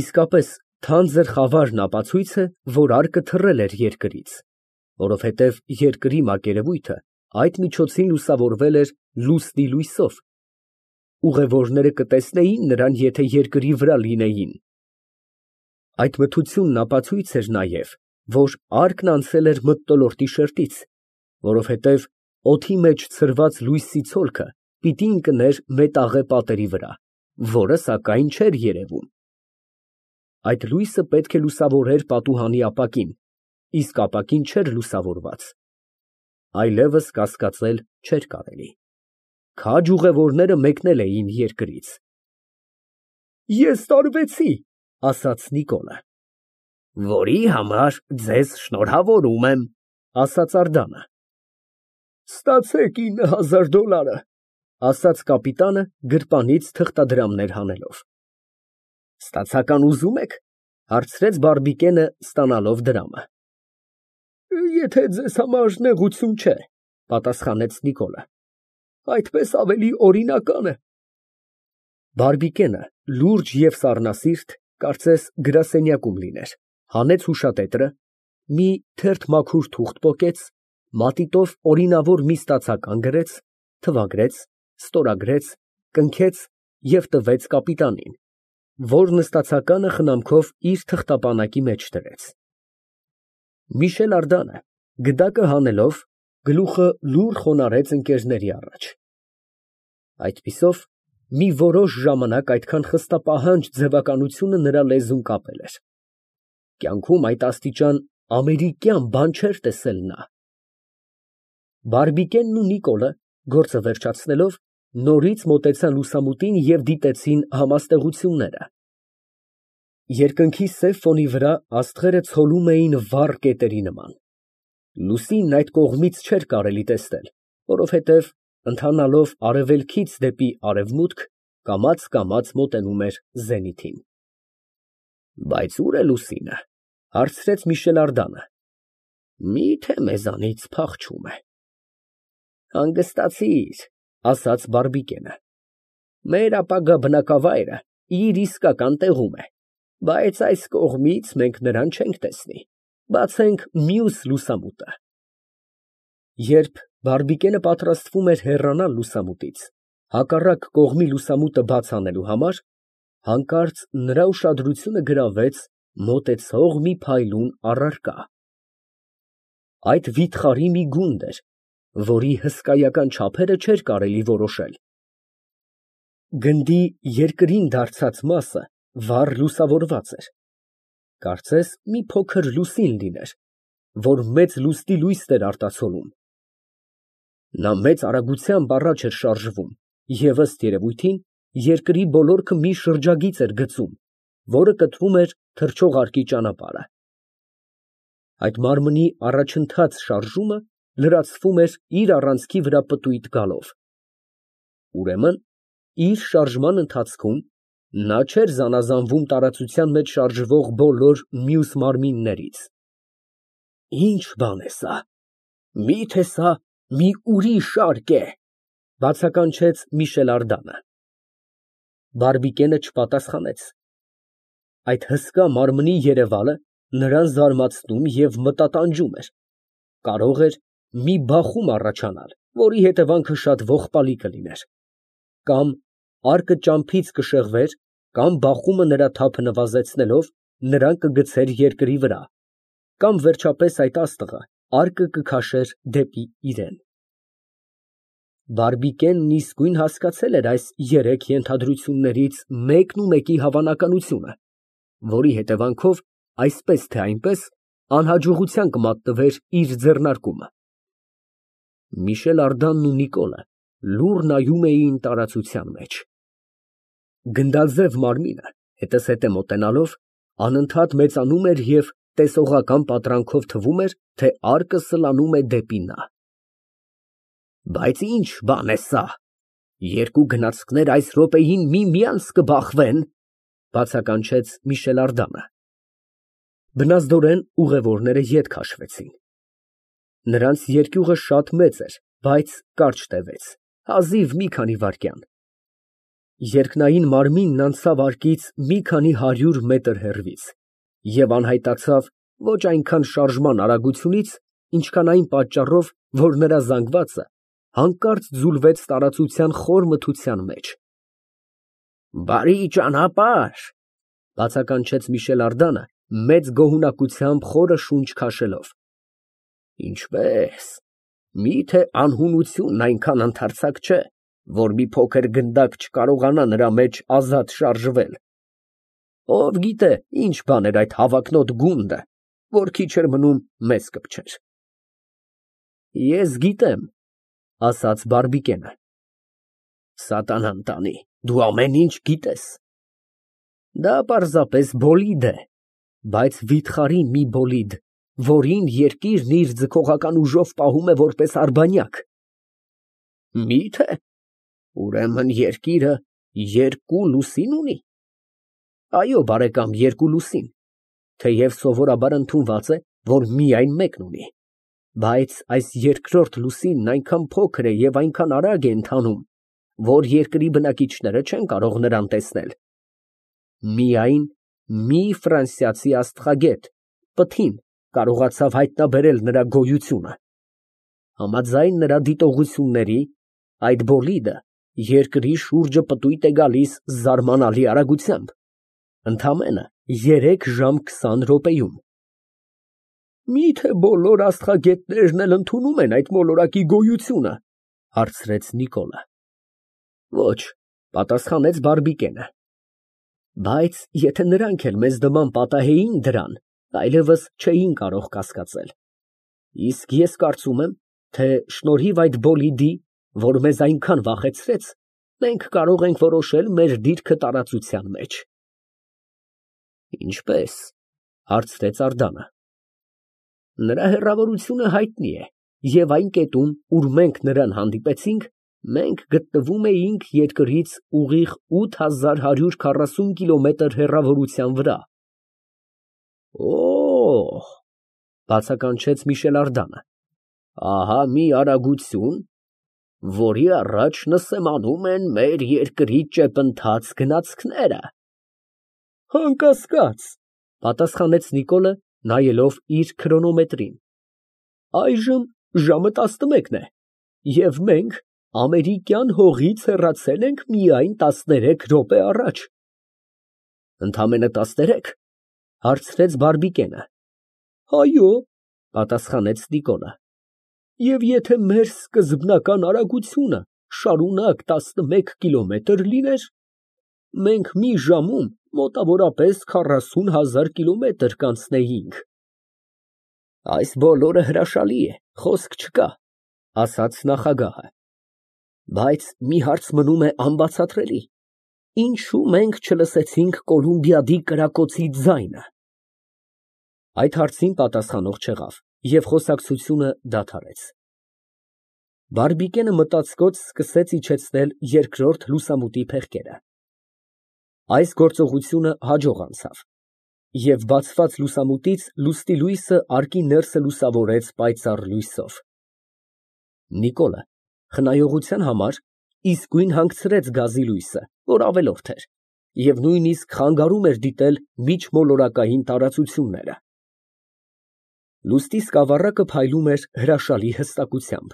Իսկապես թանձր խավարն ապացույց է, որ արկը թռել էր երկրից, որովհետև երկրի մակերևույթը այդ միջոցին լուսավորվել էր լուսնի լույսով, ուղևորները կտեսնեին նրան, եթե երկրի վրա լինեին։ Այդ մթությունն ապացույց էր նաև, որ արկն անցել էր մթնոլորտի շերտից, որովհետև օդի մեջ ցրված լույսի ցոլքը պիտի ընկներ մետաղե պատերի վրա, որը սակայն չէր երևում։ Այդ լույսը պետք է լուսավորեր պատուհանի ապակին, իսկ ապակին չէր լուսավորված։ Այլևս կասկածել չէր կարելի։ Քաջ ուղևորները մեկնել էին երկրից։ Ես տարվեցի, ասաց Նիկոլը։ Որի համար ձեզ շնորհավորում եմ, ասաց Անդրեասը։ Ստացեք $9,000, ասաց կապիտանը գրպանից թղթադրամներ հանելով։ Ստացական ուզում եք, հարցրեց Բարբիկենը, ստանալով դրամը։ Եթե ձեզ համար նեղություն չէ, պատասխանեց Նիկոլը, այդպես ավելի օրինական է։ Բարբիկենը, լուրջ և սառնասիրտ, կարծես գրասենյակում լիներ, հանեց հուշատետրը, մի թերթ մաքուր թուղթ պոկեց, մատիտով օրինավոր մի ստացական գրեց, թվագրեց, ստորագրեց, կնքեց և տվեց կապիտանին, որն ստացականը խնամքով իր թղթապանակի մեջ դրեց։ Միշել Անդրեասը, գդակը հանելով, գլուխը լուռ խոնարհեց ընկերների առաջ։ Այդպիսով, մի որոշ ժամանակ այդքան խստապահանջ ձևականությունը նրա լեզուն կապել էր։ Կյանքում այդ աստիճան ամերիկյան բան չէր տեսել նա։ Բարբիկենն ու Նիկոլը, գործը վերջացնելով, նորից մոտեցան լուսամուտին և դիտեցին համաստեղությունները։ Երկնքի սև ֆոնի վրա աստղերը ցոլում էին վառ կետերի նման։ Լուսինն այդ կողմից չէր կարելի տեսնել, որովհետև, ընթանալով արևելքից դեպի արևմուտք, կամաց մոտենում էր զենիթին։ Բայց ո՞ւր է լուսինը, հարցրեց Միշել Անդրեասը։ Մի՞թե մեզանից փախչում է։ Հանգստացիր, ասաց Բարբիկենը։ Մեր ապագա բնակավայրը իր իսկական տեղում է, բայց այս կողմից մենք նրան չենք տեսնի, բացենք մյուս լուսամուտը։ Երբ Բարբիկենը պատրաստվում էր հեռանալ լուսամուտից, հակառակ կողմի լուսամուտը բաց անելու համար, հանկարծ նրա ուշադրությունը գրավեց մոտեցող մի փայլուն առարկա։ Այդ վիթխարի մի գունդ էր, որի հսկայական չափերը չէր կարելի որոշել։ Գնդի երկրին դարձած մասը վառ լուսավորված էր, կարծես մի փոքր լուսին լիներ, որ մեծ լուսնի լույսն էր արտացոլում։ Նա մեծ արագությամբ առաջ էր շարժվում և, ըստ երևույթին, երկրի բոլորքը մի շրջագիծ էր գծում, որը կտրում էր թռչող արկի ճանապարհը։ Այդ մարմնի առաջընթաց շարժումը լրացվում էր իր առանցքի վրա պտույտ գալով։ Ուրեմն, իր շարժման ընթացքում նա չէր զանազանվում տարածության մեջ շարժվող բոլոր մյուս մարմիններից։ Ի՞նչ բան է սա, միթե սա մի ուրիշ արկ է, բացականչեց Միշել Անդրեասը։ Բարբիկենը չպատասխանեց։ Այդ հսկա մարմնի երևալը նրան զարմացնում և մտատանջում էր, կարող էր մի բախում առաջանալ, որի հետևանքը շատ ողբալի կլիներ, կամ արկը ճամփից կշեղվեր, կամ բախումը նրա թափը նվազեցնելով, նրան կգցեր երկրի վրա, կամ վերջապես այդ աստղը արկը կքաշեր դեպի իրեն։ Բարբիկենն իսկույն հասկացել էր այս երեք ենթադրություններից մեկնումեկի հավանականությունը, որի հետևանքով այսպես թե այնպես անհաջողության կմատնվեր իր ձեռնարկումը։ Միշել Անդրեասն ու Նիկոլը լուռ նայում էին տարածության մեջ։ Գնդաձև մարմինը հետզհետե մոտենալով անընդհատ մեծանում էր և տեսողական պատրանքով թվում էր, թե արկը սլանում է դեպի նա։ Բայց ի՞նչ բան է սա, երկու գնացքներ այս րոպեին միմյանց կբախվեն, բացականչեց Միշել Անդրեասը։ Բնազդորեն ուղևորները ետ քաշվեցին։ Նրանց երկյուղը շատ մեծ էր, բայց կարճ տևեց, հազիվ մի քանի վայրկյան։ Երկնային մարմինն անցավ արկից մի քանի 100 մետր հեռվից և անհայտացավ ոչ այնքան շարժման արագությունից, ինչքան այն պատճառով, որ նրա զանգվածը հանկարծ ձուլվեց տարածության խոր մթության մեջ։ «Բարի ճանապարհ», բացականչեց Միշել Ардանը, մեծ գոհունակությամբ խորը շունչ քաշելով։ Ինչպե՞ս, միթե անհունությունն այնքան ընդարձակ չէ, որ մի փոքր գնդակ չկարողանա նրա մեջ ազատ շարժվել։ Ով գիտե, ինչ բան էր այդ հավակնոտ գունդը, որ քիչ էր մնում մեզ կպչեր։ Ես գիտեմ, ասաց Բարբիկենը։ Սատանան տանի, դու ամեն ինչ գիտես։ Դա պարզապես բոլիդ է, բայց վիթխարի մի բոլիդ, որին երկիրն իր ձգողական ուժով պահում է որպես արբանյակ։ Միթե, ուրեմն երկիրը երկու լուսին ունի։ Այո, բարեկամ, երկու լուսին, թեև սովորաբար ընդունված է, որ միայն մեկն ունի, բայց այս երկրորդ լուսինն այնքան փոքր է և այնքան արագ է ընթանում, որ երկրի բնակիչները չեն կարող նրան տեսնել։ Միայն մի ֆրանսիացի աստղագետ, Պտին, կարողացավ հայտնաբերել նրա գոյությունը։ Համաձայն նրա դիտողությունների, այդ բոլիդը երկրի շուրջը պտույտ է գալիս զարմանալի արագությամբ, ընդամենը 3 ժամ 20 րոպեում։ Միթե բոլոր աստղագետներն էլ ընդունում են այդ մոլորակի գոյությունը, հարցրեց Նիկոլը։ Ոչ, պատասխանեց Բարբիկենը։ Բայց եթե նրանք էլ մեզ նման պատահեին դրան, այլևս չէին կարող կասկածել։ Իսկ ես կարծում եմ, թե շնորհիվ այդ բոլիդի, որ մեզ այնքան վախեցրեց, մենք կարող ենք որոշել մեր դիրքը տարածության մեջ։ Ինչպե՞ս, հարցրեց Ардանը։ Նրա հեռավորությունը հայտնի է, և այն կետում, ուր մենք նրան հանդիպեցինք, մենք գտնվում էինք երկրից ուղիղ 8140 կիլոմետր հեռավորության վրա։ Օ՜օ, բացականչեց Միշել Ардանը, ահա մի արագություն, որի առաջ նսեմանում են մեր երկրի ճեպընթաց գնացքները։ Անկասկած, պատասխանեց Նիկոլը, նայելով իր քրոնոմետրին։ Այժմ ժամը 11 է, և մենք ամերիկյան հողից հեռացել ենք միայն 13 րոպե առաջ։ Ընդամենը 13, հարցրեց Բարբիկենը։ Այո, պատասխանեց Նիկոլը։ Եվ եթե մեր սկզբնական արագությունը շարունակ 11 կիլոմետր լիներ, մենք մի ժամում մոտավորապես 40,000 կիլոմետր կանցնեինք։ Այս բոլորը հրաշալի է, խոսք չկա, ասաց նախագահը։ Բայց մի հարց մնում է անբացատրելի. ինչու մենք չլսեցինք Կոլումբիադի կրակոցի ձայնը։ Այդ հարցին պատասխանող չեղավ, և խոսակցությունը դադարեց։ Բարբիկենը մտածկոց սկսեց իջեցնել երկրորդ լուսամուտի փեղկերը։ Այս գործողությունը հաջող անցավ, և բացված լուսամուտից լուսնի լույսը արկի ներսը լուսավորեց պայծառ լույսով։ Նիկոլը խնայողության համար իսկույն հանգցրեց գազի լույսը, որ ավելորդ էր, և նույնիսկ խանգարում էր դիտել միջմոլորակային տարածությունները։ Լուսնի սկավառակը փայլում էր հրաշալի հստակությամբ։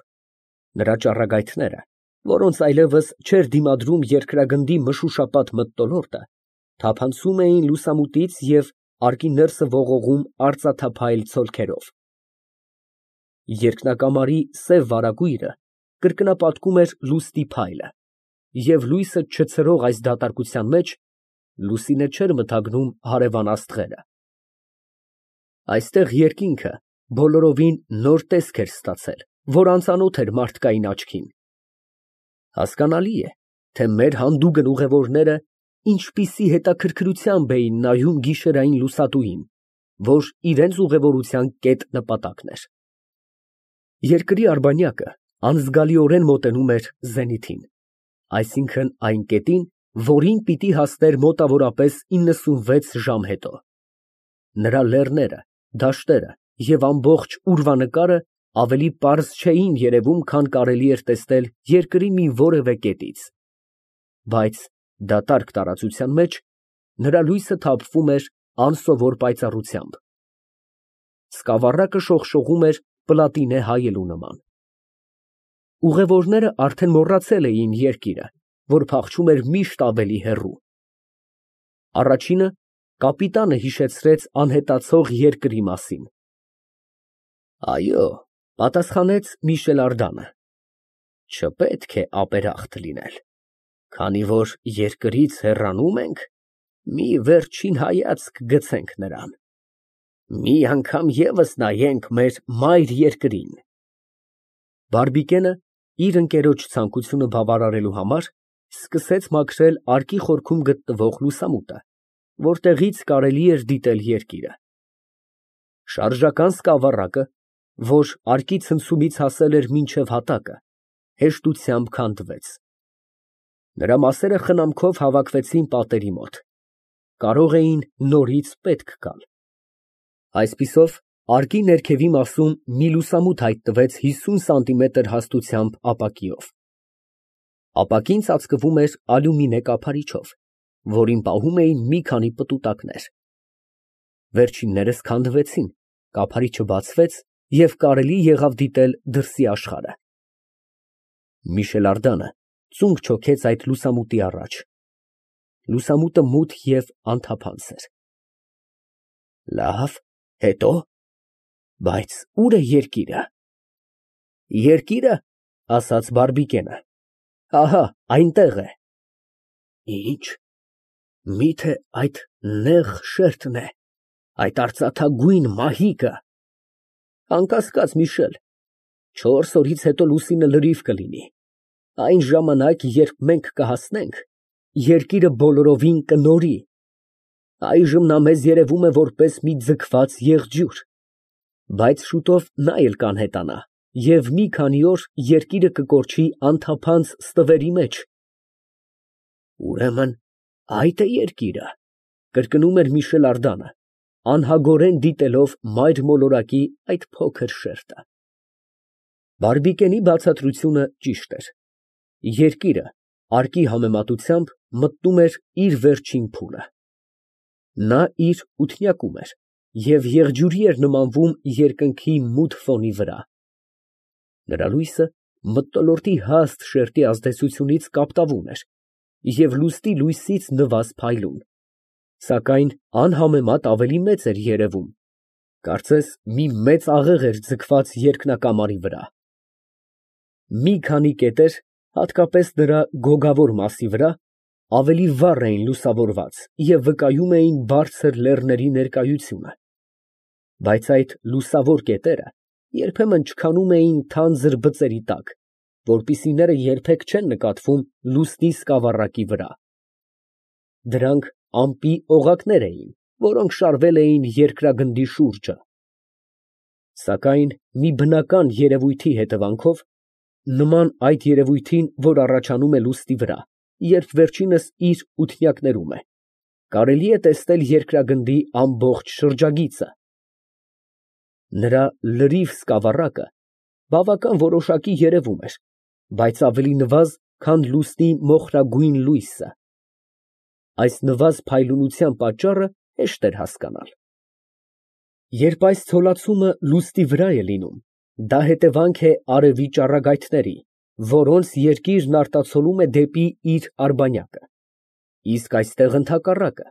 Նրա ճառագայթները, որոնց այլևս չէր դիմադրում երկրագնդի մշուշապատ մթնոլորտը, թափանցում էին լուսամուտից և արկի ներսը ողողում արծաթափայլ ցոլքերով։ Երկնակամարի սև վարագույրը կրկնապատկում էր լուսնի փայլը, և լույսը չցրող այս դատարկության մեջ լուսինը չէր մթագնում հարևան աստղերը։ Այստեղ երկինքը բոլորովին նոր տեսք էր ստացել, որ անծանոթ էր մարդկային աչքին։ Հասկանալի է, թե մեր հանդուգն ուղևորները ինչպիսի հետաքրքրությամբ էին նայում գիշերային լուսատուին, որ իրենց ուղևորության կետ նպատակն էր։ Երկրի արբանյակը անզգալիորեն մոտենում էր զենիթին, այսինքն այն կետին, որին պիտի հասներ մոտավորապես 96 ժամ հետո։ Նրա լեռները, դաշտերը և ամբողջ ուրվանկարը ավելի պարզ չէին երևում, քան կարելի էր տեսնել երկրի մի որևէ կետից։ Բայց Դատարկ տարածության մեջ նրա լույսը թափվում էր անսովոր պայծառությամբ։ Սկավառակը շողշողում էր պլատինե հայելու նման։ Ուղևորները արդեն մոռացել էին երկիրը, որ փախչում էր միշտ ավելի հեռու։ Առաջինը կապիտանը հիշեցրեց անհետացող երկրի մասին։ Այո, պատասխանեց Միշել Արդանը, չպետք է ապերախտ լինել, քանի որ երկրից հեռանում ենք, մի վերջին հայացք գցենք նրան, մի անգամ ևս նայենք մեր մայր երկրին։ Բարբիկենը իր ընկերոջ ցանկությունը բավարարելու համար սկսեց մաքրել արկի խորքում գտնվող լուսամուտը, որտեղից կարելի էր դիտել երկիրը։ Շարժական սկավառակը, որ արկի ցնցումից հասել էր մինչև հատակը, հեշտությամբ քանդվեց։ Նրա մասերը խնամքով հավաքվեցին պատերի մոտ, կարող էին նորից պետք գալ։ Այսպիսով, արկի ներքևի մասում մի լուսամուտ հայտնվեց 50 սանտիմետր հաստությամբ ապակիով։ Ապակին ծածկվում էր ալյումինե կափարիչով, որին պահում էին մի քանի պտուտակներ։ Վերջիններս քանդվեցին, կափարիչը բացվեց և կարելի եղավ դիտել դրսի աշխարհը։ Միշել Արդանը ծունկ չոքեց այդ լուսամուտի առաջ։ Լուսամուտը մութ և անթափանց էր։ Լավ, հետո՞։ Բայց ո՞ւր է երկիրը։ Երկիրը, ասաց Բարբիկենը, ահա այնտեղ է։ Ինչ, միթե այդ նեղ շերտն է, այդ արծաթագույն մահիկը։ Անկասկած, Միշել, 4 օրից հետո լուսինը լրիվ կլինի, այն ժամանակ, երբ մենք կհասնենք, երկիրը բոլորովին կնորի, այժմ նա մեզ երևում է որպես մի ձգված եղջյուր, բայց շուտով նա էլ կանհետանա և մի քանի օր երկիրը կկորչի անթափանց ստվերի մեջ։ Ուրեմն այդ է երկիրը, կրկնում էր Միշել Արդանը, անհագորեն դիտելով մայր մոլորակի այդ փոքր շերտը։ Բարբիկենի բացատրությունը ճիշտ էր։ Երկիրը, արկի համեմատությամբ, մտնում էր իր վերջին փուլը։ Նա իր ութնյակում էր և եղջյուրի էր նմանվում երկնքի մութ ֆոնի վրա։ Նրա լույսը մթնոլորտի հաստ շերտի ազդեցությունից կապտավուն էր և լուսնի լույսից նվազ փայլուն, սակայն անհամեմատ ավելի մեծ էր երևում, կարծես մի մեծ աղեղ էր ձգված երկնակամարի վրա։ Մի քանի կետեր, հատկապես նրա գոգավոր մասի վրա, ավելի վառ էին լուսավորված և վկայում էին բարձր լեռների ներկայությունը, բայց այդ լուսավոր կետերը երբեմն չքանում էին թանձր բծերի տակ, որպեսզի նրը երբեք չեն նկատվում լուսնի սկավառակի վրա։ Դրանք ամպի օղակներ էին, որոնք շարվել էին երկրագնդի շուրջը։ Սակայն մի բնական երևույթի հետևանքով, նման այդ երևույթին, որ առաջանում է լուսնի վրա, երբ վերջինս իր ութնյակներում է, կարելի է տեսնել երկրագնդի ամբողջ շրջագիծը։ Նրա լրիվ սկավառակը բավական որոշակի երևում էր, բայց ավելի նվազ, քան լուսնի մոխրագույն լույսը։ Այս նվազ փայլունության պատճառը հեշտ էր հասկանալ։ Երբ այս ցոլացումը լուսնի վրա է լինում, դա հետևանք է արևի ճառագայթների, որոնց երկիրն արտացոլում է դեպի իր արբանյակը, իսկ այստեղ ընդհակառակը,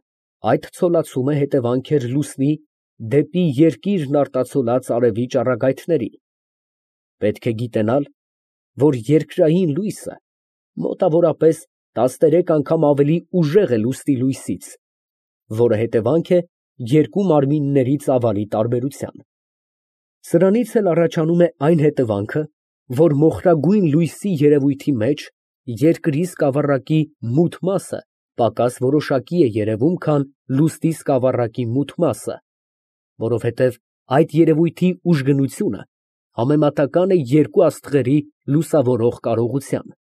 այդ ցոլացումը հետևանք էր լուսնի դեպի երկիրն արտացոլած արևի ճառագայթների։ Պետք է գիտենալ, որ երկրային լույսը մոտավորապես 13 անգամ ավելի ուժեղ է լուսնի լույսից, որը հետևանք է երկու մարմինների ծավալի տարբերության։ Սրանից էլ առաջանում է այն հետևանքը, որ մոխրագույն լույսի երևույթի մեջ երկրի սկավառակի մութ մասը պակաս որոշակի է երևում, քան լուսնի սկավառակի մութ մասը, որովհետև այդ երևույթի ուժգնությունը համեմատական է երկու աստղերի լուսավորող կարողության։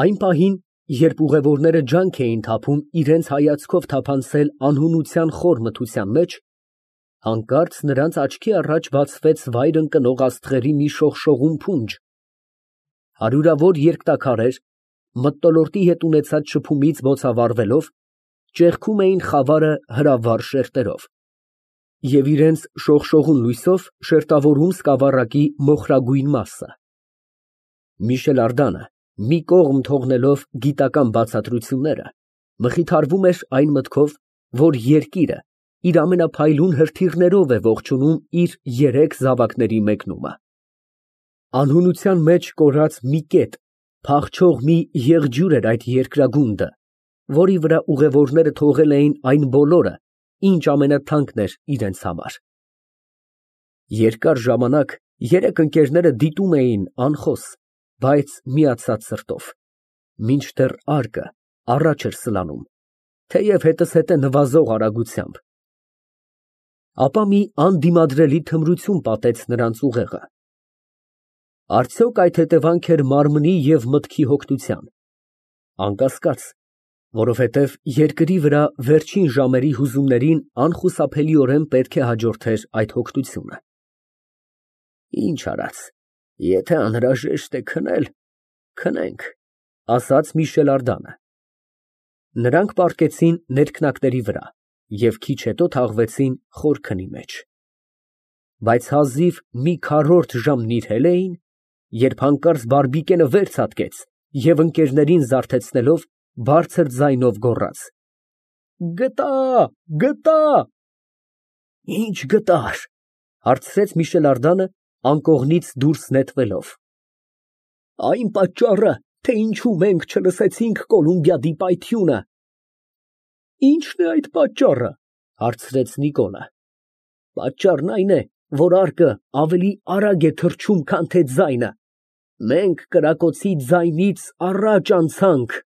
Այն պահին, երբ ուղևորները ջանք էին թափում իրենց հայացքով թափանցել անհունության խոր մթության մեջ, հանկարծ նրանց աչքի առաջ բացվեց վայր ընկնող աստղերի մի շողշողուն փունջ։ Հարյուրավոր երկտաքարեր, մթնոլորտի հետ ունեցած շփումից բոցավառվելով, ճեղքում էին խավարը հրավառ շերտերով և իրենց շողշողուն լույսով շերտավորում սկավառակի մոխրագույն մասը։ Միշել Ардանը, մի կողմ թողնելով գիտական բացատրությունները, մխիթարվում էր այն մտքով, որ երկիրը իր ամենափայլուն հրթիռներով է ողջունում իր երեք զավակների մեկնումը։ Անհունության մեջ կորած մի կետ, փախչող մի եղջյուր էր այդ երկրագունդը, որի վրա ուղևորները թողել էին այն բոլորը, ինչ ամենաթանկն էր իրենց համար։ Երկար ժամանակ երեք ընկերները դիտում էին անխոս, բայց միացած սրտով, մինչդեռ արկը առաջ էր սլանում, թեև հետզհետե նվազող արագությամբ։ Ապա մի անդիմադրելի թմրություն պատեց նրանց ուղեղը։ Արդյոք այդ հետևանք էր մարմնի և մտքի հոգնության։ Անկասկած, որովհետև երկրի վրա վերջին ժամերի հուզումներին անխուսափելիորեն պետք է հաջորդեր այդ հոգնությունը։ Ինչ արած, եթե անհրաժեշտ է քնել, քնենք, ասաց Միշել Ардանը։ Նրանք պառկեցին ներքնակների վրա և քիչ հետո թաղվեցին խոր քնի մեջ։ Բայց հազիվ մի քառորդ ժամ նիրհել էին, երբ հանկարծ բարբիկենը վեր ցատկեց և ընկերներին զարթեցնելով, բարձր ձայնով գոռաց. «Գտա, գտա»։ Ի՞նչ գտար, հարցրեց Միշել Ардանը, անկողնից դուրս նետվելով։ Այն պատճառը, թե ինչու մենք չլսեցինք Կոլումբիադի պայթյունը։ Ի՞նչն է այդ պատճառը, հարցրեց Նիկոլը։ Պատճառն այն է, որ արկը ավելի արագ է թռչում, քան թե ձայնը։ Մենք կրակոցի ձայնից առաջ անցանք։